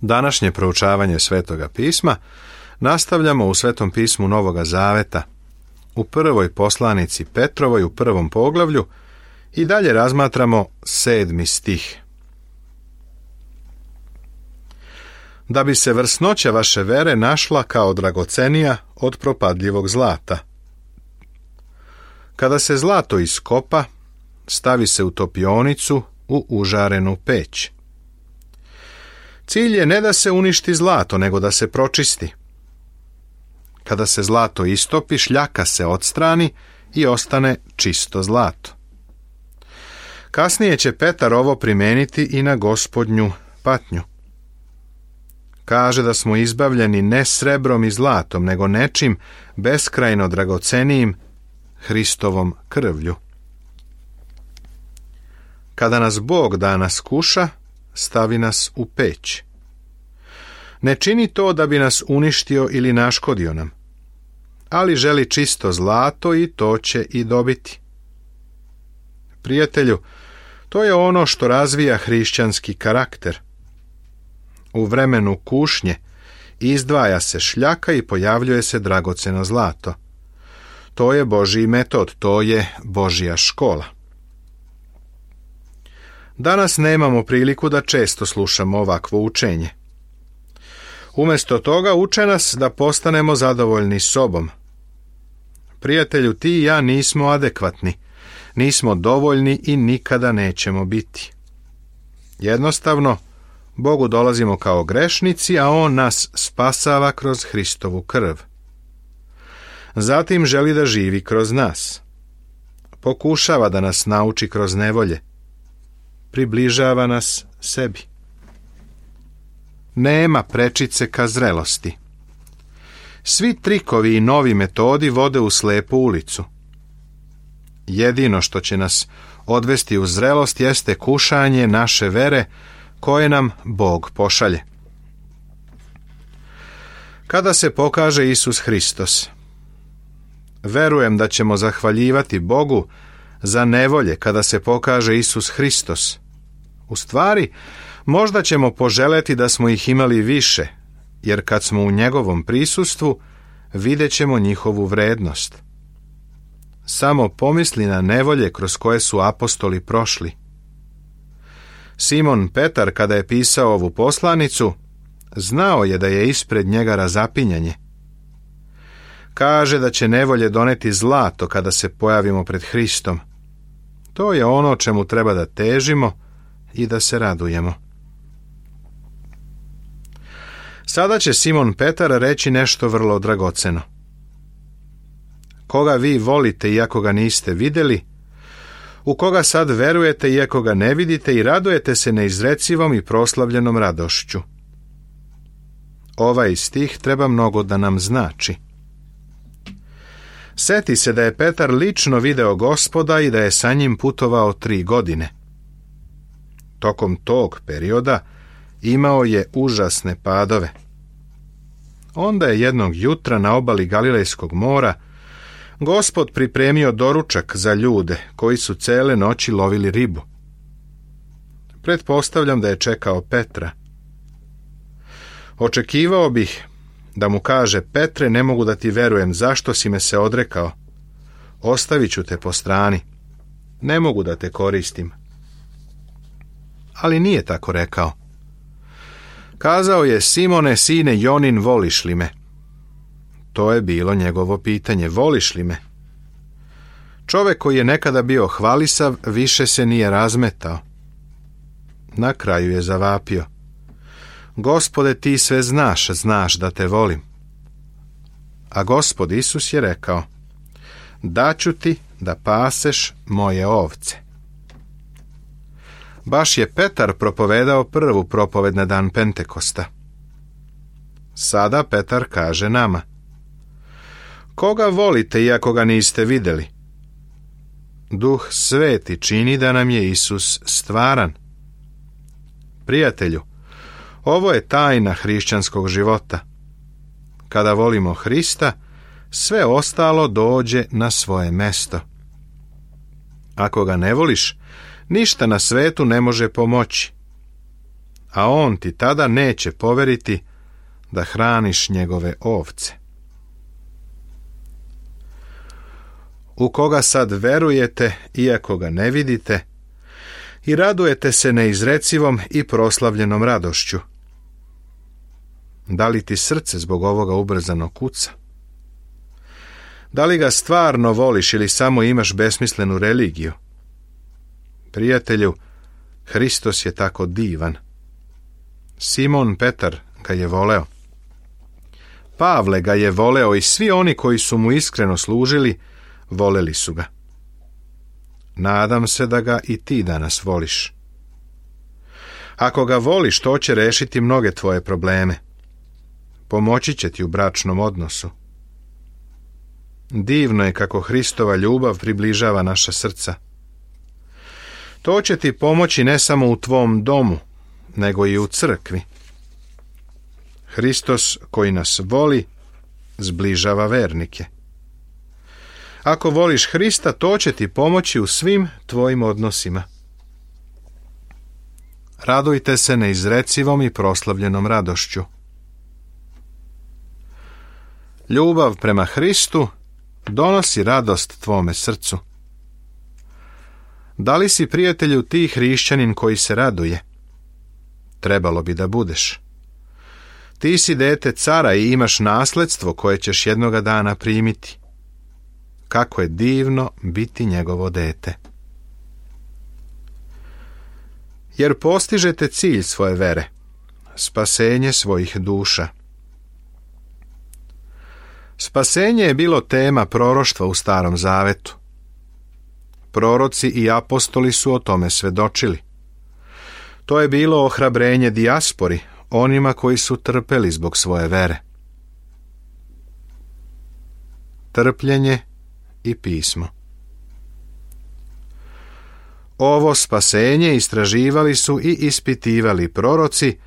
Današnje proučavanje Svetoga pisma nastavljamo u Svetom pismu Novoga Zaveta, u prvoj poslanici Petrovoj u 1. poglavlju i dalje razmatramo 7. stih. Da bi se vrsnoća vaše vere našla kao dragocenija od propadljivog zlata. Kada se zlato iskopa, stavi se u topionicu u užarenu peć. Cilj je ne da se uništi zlato, nego da se pročisti. Kada se zlato istopi, šljaka se odstrani i ostane čisto zlato. Kasnije će Petar ovo primeniti i na Gospodnju patnju. Kaže da smo izbavljeni ne srebrom i zlatom, nego nečim beskrajno dragocenijim, Hristovom krvlju. Kada nas Bog da nas kuša, stavi nas u peć. Ne čini to da bi nas uništio ili naškodio nam, ali želi čisto zlato i to će i dobiti. Prijatelju, to je ono što razvija hrišćanski karakter. U vremenu kušnje izdvaja se šljaka i pojavljuje se dragoceno zlato. To je Božji metod, to je Božja škola. Danas nemamo priliku da često slušamo ovakvo učenje. Umjesto toga uče nas da postanemo zadovoljni sobom. Prijatelju, ti i ja nismo adekvatni, nismo dovoljni i nikada nećemo biti. Jednostavno, Bogu dolazimo kao grešnici, a On nas spasava kroz Hristovu krv. Zatim želi da živi kroz nas. Pokušava da nas nauči kroz nevolje. Približava nas sebi. Nema prečice ka zrelosti. Svi trikovi i novi metodi vode u slepu ulicu. Jedino što će nas odvesti u zrelost jeste kušanje naše vere koje nam Bog pošalje. Kada se pokaže Isus Hristos, verujem da ćemo zahvaljivati Bogu za nevolje kada se pokaže Isus Hristos. U stvari, možda ćemo poželeti da smo ih imali više, jer kad smo u njegovom prisustvu, vidjet ćemo njihovu vrednost. Samo pomisli na nevolje kroz koje su apostoli prošli. Simon Petar, kada je pisao ovu poslanicu, znao je da je ispred njega razapinjanje. Kaže da će nevolje doneti zlato kada se pojavimo pred Hristom. To je ono čemu treba da težimo i da se radujemo. Sada će Simon Petar reći nešto vrlo dragoceno. Koga vi volite iako ga niste vidjeli, u koga sad verujete iako ga ne vidite i radujete se neizrecivom i proslavljenom radošću. Ovaj stih treba mnogo da nam znači. Seti se da je Petar lično video Gospoda i da je sa njim putovao 3 godine. Tokom tog perioda imao je užasne padove. Onda je jednog jutra na obali Galilejskog mora Gospod pripremio doručak za ljude koji su cele noći lovili ribu. Pretpostavljam da je čekao Petra. Očekivao bih da mu kaže: Petre, ne mogu da ti verujem, zašto si me se odrekao? Ostavit ću te po strani. Ne mogu da te koristim. Ali nije tako rekao. Kazao je: Simone, sine Jonin, voliš li me? To je bilo njegovo pitanje, voliš li me? Čovek koji je nekada bio hvalisav više se nije razmetao. Na kraju je zavapio: Gospode, ti sve znaš, znaš da te volim. A Gospod Isus je rekao: daću ti da paseš moje ovce. Baš je Petar propovedao prvu propoved na dan Pentekosta. Sada Petar kaže nama: koga volite iako ga niste vidjeli? Duh Sveti čini da nam je Isus stvaran. Prijatelju, ovo je tajna hrišćanskog života. Kada volimo Hrista, sve ostalo dođe na svoje mesto. Ako ga ne voliš, ništa na svetu ne može pomoći. a on ti tada neće poveriti da hraniš njegove ovce. U koga sad verujete, iako ga ne vidite, i radujete se neizrecivom i proslavljenom radošću. Da li ti srce zbog ovoga ubrzano kuca? Da li ga stvarno voliš ili samo imaš besmislenu religiju? Prijatelju, Hristos je tako divan. Simon Petar ga je voleo. Pavle ga je voleo i svi oni koji su mu iskreno služili, voleli su ga. Nadam se da ga i ti danas voliš. Ako ga voliš, to će rešiti mnoge tvoje probleme. Pomoći će ti u bračnom odnosu. Divno je kako Hristova ljubav približava naša srca. To će ti pomoći ne samo u tvom domu, nego i u crkvi. Hristos koji nas voli, zbližava vernike. Ako voliš Hrista, to će ti pomoći u svim tvojim odnosima. Radujte se neizrecivom i proslavljenom radošću. Ljubav prema Hristu donosi radost tvome srcu. Da li si, prijatelju, ti hrišćanin koji se raduje? Trebalo bi da budeš. Ti si dete cara i imaš nasledstvo koje ćeš jednoga dana primiti. Kako je divno biti njegovo dete. Jer postižete cilj svoje vere, spasenje svojih duša. Spasenje je bilo tema proroštva u Starom Zavetu. Proroci i apostoli su o tome svedočili. To je bilo ohrabrenje dijaspori, onima koji su trpeli zbog svoje vere. Trpljenje i pismo. Ovo spasenje istraživali su i ispitivali proroci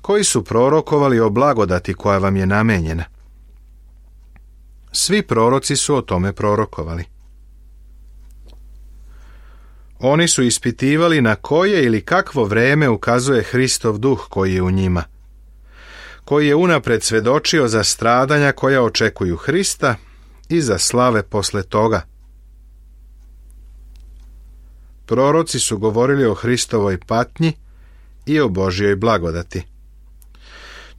koji su prorokovali o blagodati koja vam je namenjena. Svi proroci su o tome prorokovali. Oni su ispitivali na koje ili kakvo vreme ukazuje Hristov duh koji je u njima, koji je unapred svedočio za stradanja koja očekuju Hrista i za slave posle toga. Proroci su govorili o Hristovoj patnji i o Božjoj blagodati.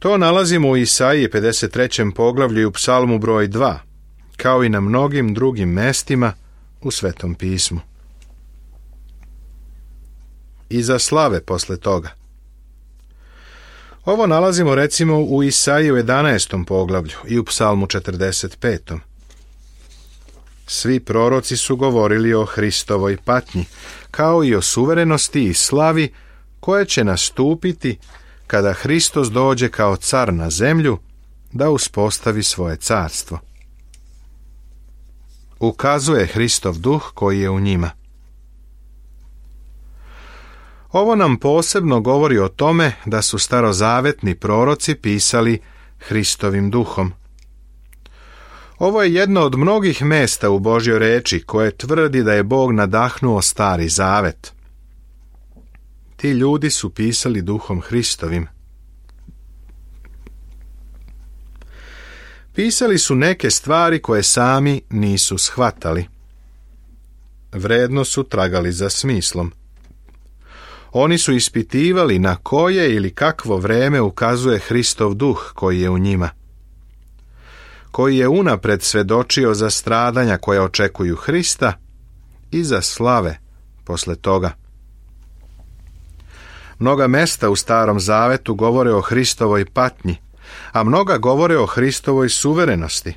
To nalazimo u Isaiji 53. poglavlju i u Psalmu broj 2, kao i na mnogim drugim mestima u Svetom pismu. I za slave posle toga. Ovo nalazimo recimo u Isaiji u 11. poglavlju i u Psalmu 45. Svi proroci su govorili o Hristovoj patnji, kao i o suverenosti i slavi koje će nastupiti kada Hristos dođe kao car na zemlju da uspostavi svoje carstvo. Ukazuje Hristov duh koji je u njima. Ovo nam posebno govori o tome da su starozavetni proroci pisali Hristovim duhom. Ovo je jedno od mnogih mesta u Božjoj reči koje tvrdi da je Bog nadahnuo Stari Zavet. Ti ljudi su pisali duhom Hristovim. Pisali su neke stvari koje sami nisu shvatali. Vredno su tragali za smislom. Oni su ispitivali na koje ili kakvo vreme ukazuje Hristov duh koji je u njima, koji je unapred svedočio za stradanja koja očekuju Hrista i za slave posle toga. Mnoga mesta u Starom Zavetu govore o Hristovoj patnji, a mnoga govore o Hristovoj suverenosti,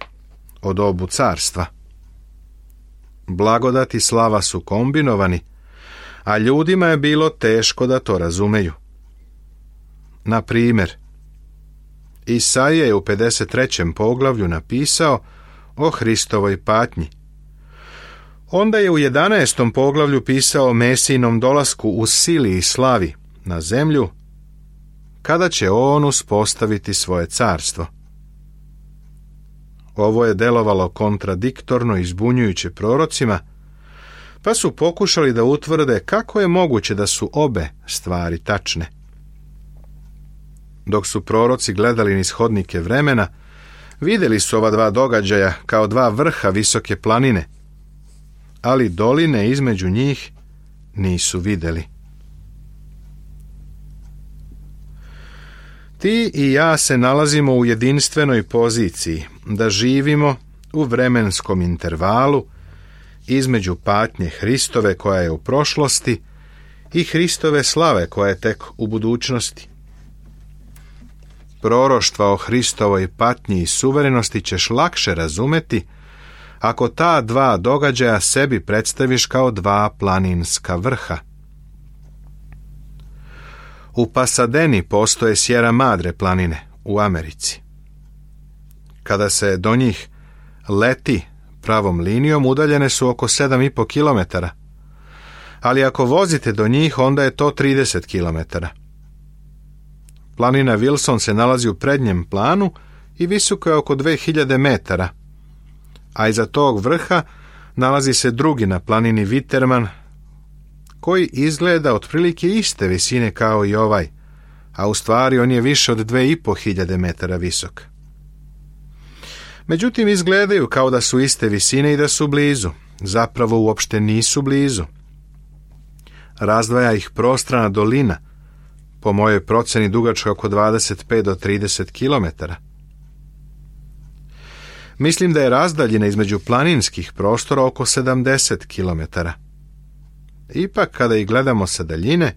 o dobu carstva. Blagodat i slava su kombinovani, a ljudima je bilo teško da to razumeju. Na primjer, Isaija je u 53. poglavlju napisao o Hristovoj patnji. Onda je u 11. poglavlju pisao o Mesijinom dolasku u sili i slavi na zemlju, kada će on uspostaviti svoje carstvo. Ovo je delovalo kontradiktorno i zbunjujuće prorocima, pa su pokušali da utvrde kako je moguće da su obe stvari tačne. Dok su proroci gledali niz hodnike vremena, vidjeli su ova dva događaja kao dva vrha visoke planine, ali doline između njih nisu vidjeli. Ti i ja se nalazimo u jedinstvenoj poziciji da živimo u vremenskom intervalu između patnje Hristove koja je u prošlosti i Hristove slave koja je tek u budućnosti. Proroštva o Hristovoj patnji i suverenosti ćeš lakše razumeti ako ta dva događaja sebi predstaviš kao dva planinska vrha. U Pasadeni postoje Sierra Madre planine u Americi. Kada se do njih leti pravom linijom, udaljene su oko 7,5 km, ali ako vozite do njih, onda je to 30 km. Planina Wilson se nalazi u prednjem planu i visoko je oko 2000 metara, a iza tog vrha nalazi se drugi na planini Witterman, koji izgleda otprilike iste visine kao i ovaj, a u stvari on je više od 2500 metara visok. Međutim, izgledaju kao da su iste visine i da su blizu. Zapravo uopšte nisu blizu. Razdvaja ih prostrana dolina, po mojoj proceni dugačka oko 25 do 30 km. Mislim da je razdaljina između planinskih prostora oko 70 km. Ipak, kada ih gledamo sa daljine,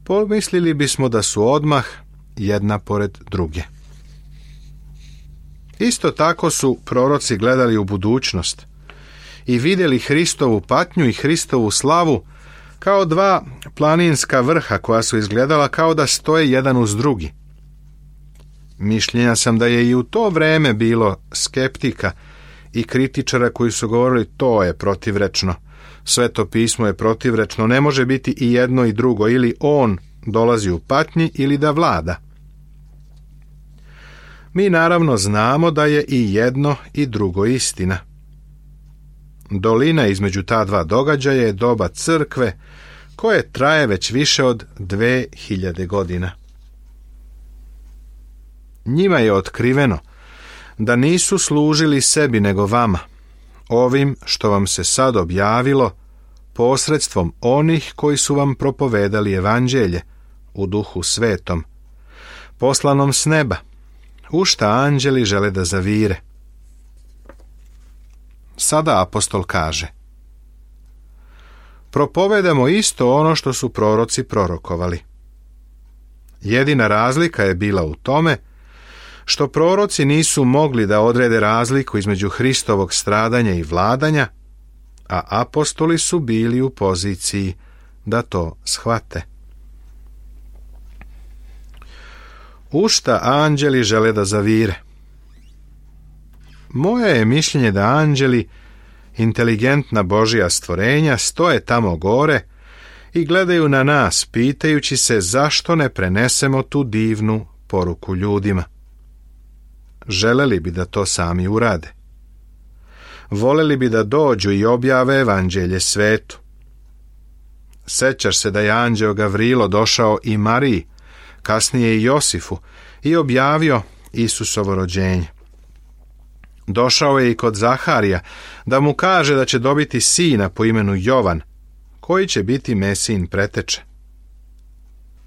pomislili bismo da su odmah jedna pored druge. Isto tako su proroci gledali u budućnost i vidjeli Hristovu patnju i Hristovu slavu kao dva planinska vrha koja su izgledala kao da stoje jedan uz drugi. Mišljenja sam da je i u to vreme bilo skeptika i kritičara koji su govorili to je protivrečno. Sveto pismo je protivrečno, ne može biti i jedno i drugo, ili on dolazi u patnji ili da vlada. Mi naravno znamo da je i jedno i drugo istina. Dolina između ta dva događaja je doba crkve koje traje već više od 2000 godina. Njima je otkriveno da nisu služili sebi nego vama, ovim što vam se sad objavilo posredstvom onih koji su vam propovedali evanđelje u Duhu Svetom, poslanom s neba, u šta anđeli žele da zavire. Sada apostol kaže: propovedamo isto ono što su proroci prorokovali. Jedina razlika je bila u tome što proroci nisu mogli da odrede razliku između Hristovog stradanja i vladanja, a apostoli su bili u poziciji da to shvate. U šta anđeli žele da zavire? Moje je mišljenje da anđeli, inteligentna Božja stvorenja, stoje tamo gore i gledaju na nas, pitajući se zašto ne prenesemo tu divnu poruku ljudima. Želeli bi da to sami urade. Voleli bi da dođu i objave evanđelje svetu. Sećaš se da je anđeo Gavrilo došao i Mariji, kasnije i Josifu, i objavio Isusovo rođenje. Došao je i kod Zaharija da mu kaže da će dobiti sina po imenu Jovan, koji će biti Mesijin preteče.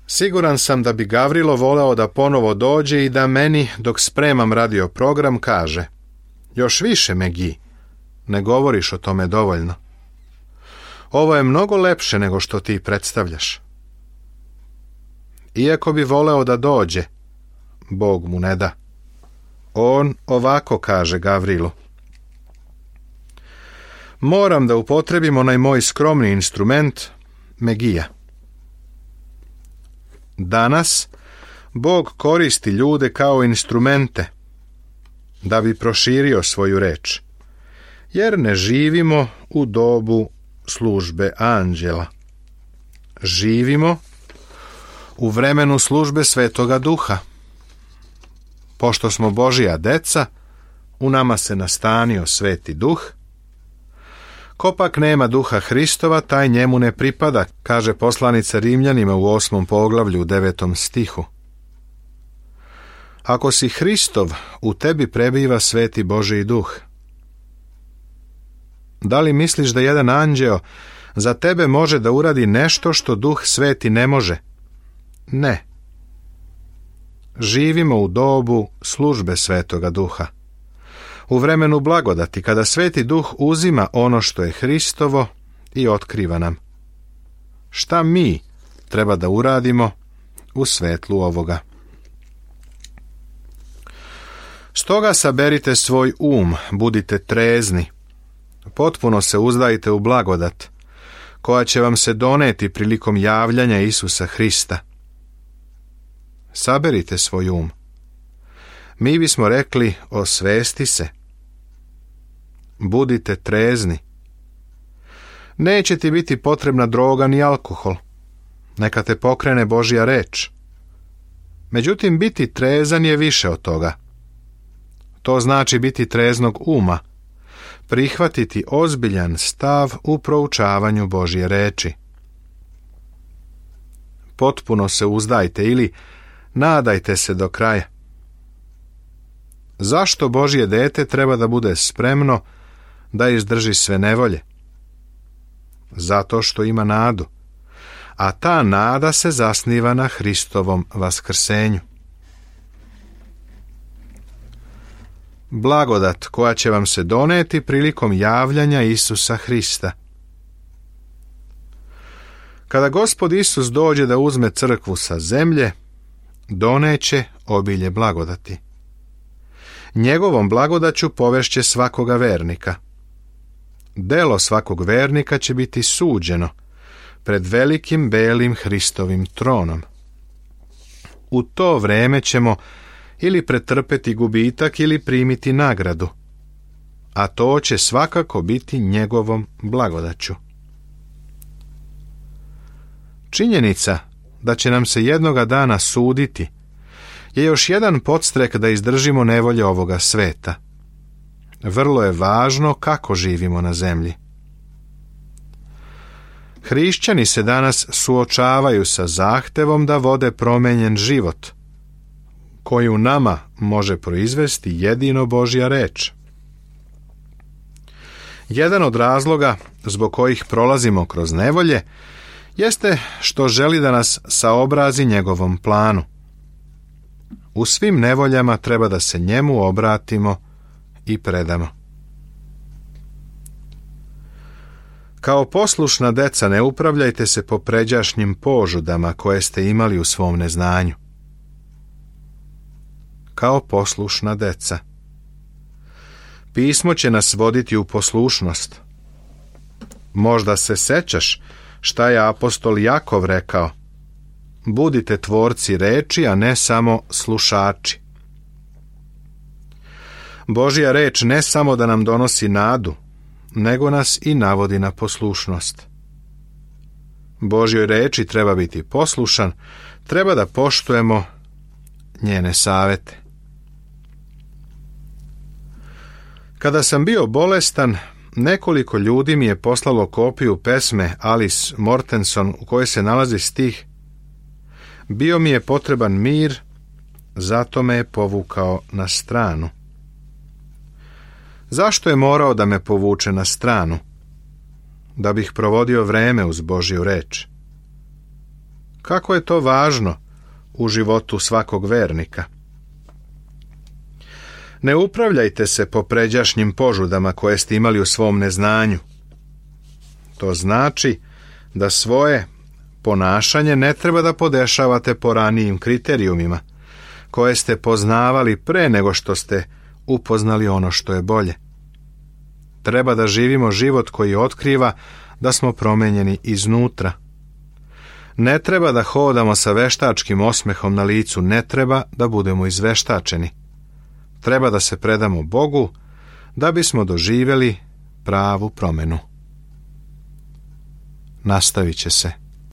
Siguran sam da bi Gavrilo voleo da ponovo dođe i da meni, dok spremam radio program, kaže: još više, Megi, ne govoriš o tome dovoljno. Ovo je mnogo lepše nego što ti predstavljaš. Iako bi voleo da dođe, Bog mu ne da. On ovako kaže Gavrilu: moram da upotrebim onaj moj skromni instrument, Megija. Danas Bog koristi ljude kao instrumente da bi proširio svoju reč, jer ne živimo u dobu službe anđela. Živimo u vremenu službe Svetoga Duha. Pošto smo Božja deca, u nama se nastanio Sveti Duh. Ko pak nema Duha Hristova, taj njemu ne pripada, kaže poslanica Rimljanima u 8. poglavlju u 9. stihu. Ako si Hristov, u tebi prebiva Sveti Božji duh. Da li misliš da jedan anđeo za tebe može da uradi nešto što Duh Sveti ne može? Ne. Živimo u dobu službe Svetoga Duha. U vremenu blagodati, kada Sveti Duh uzima ono što je Hristovo i otkriva nam. Šta mi treba da uradimo u svetlu ovoga? Stoga saberite svoj budite trezni, potpuno se uzdajte u blagodat, koja će vam se doneti prilikom javljanja Isusa Hrista. Saberite svoj Mi bismo rekli, osvesti se. Budite trezni. Neće ti biti potrebna droga ni alkohol. Neka te pokrene Božja reč. Međutim, biti trezan je više od toga. To znači biti treznog uma, prihvatiti ozbiljan stav u proučavanju Božje reči. Potpuno se uzdajte ili nadajte se do kraja. Zašto Božje dete treba da bude spremno da izdrži sve nevolje? Zato što ima nadu, a ta nada se zasniva na Hristovom vaskrsenju. Blagodat koja će vam se doneti prilikom javljanja Isusa Hrista. Kada Gospod Isus dođe da uzme crkvu sa zemlje, doneće obilje blagodati. Njegovom blagodaću povešće svakoga vernika. Delo svakog vernika će biti suđeno pred velikim belim Hristovim tronom. U to vreme ćemo ili pretrpeti gubitak ili primiti nagradu, a to će svakako biti njegovom blagodaću. Činjenica da će nam se jednoga dana suditi je još jedan podstrek da izdržimo nevolje ovoga sveta. Vrlo je važno kako živimo na zemlji. Hrišćani se danas suočavaju sa zahtevom da vode promenjen život, koji u nama može proizvesti jedino Božja reč. Jedan od razloga zbog kojih prolazimo kroz nevolje jeste što želi da nas saobrazi njegovom planu. U svim nevoljama treba da se njemu obratimo i predamo. Kao poslušna deca ne upravljajte se po pređašnjim požudama koje ste imali u svom neznanju. Kao poslušna deca. Pismo će nas voditi u poslušnost. Možda se sećaš šta je apostol Jakov rekao. Budite tvorci reči, a ne samo slušači. Božja reč ne samo da nam donosi nadu, nego nas i navodi na poslušnost. Božjoj reči treba biti poslušan, treba da poštujemo njene savete. Kada sam bio bolestan, nekoliko ljudi mi je poslalo kopiju pesme Alice Mortenson u kojoj se nalazi stih: Bio mi je potreban mir, zato me je povukao na stranu. Zašto je morao da me povuče na stranu? Da bih provodio vreme uz Božju reč. Kako je to važno u životu svakog vernika? Ne upravljajte se po pređašnjim požudama koje ste imali u svom neznanju. To znači da svoje ponašanje ne treba da podešavate po ranijim kriterijumima, koje ste poznavali pre nego što ste upoznali ono što je bolje. Treba da živimo život koji otkriva da smo promenjeni iznutra. Ne treba da hodamo sa veštačkim osmehom na licu, ne treba da budemo izveštačeni. Treba da se predamo Bogu da bismo doživjeli pravu promenu. Nastavit će se.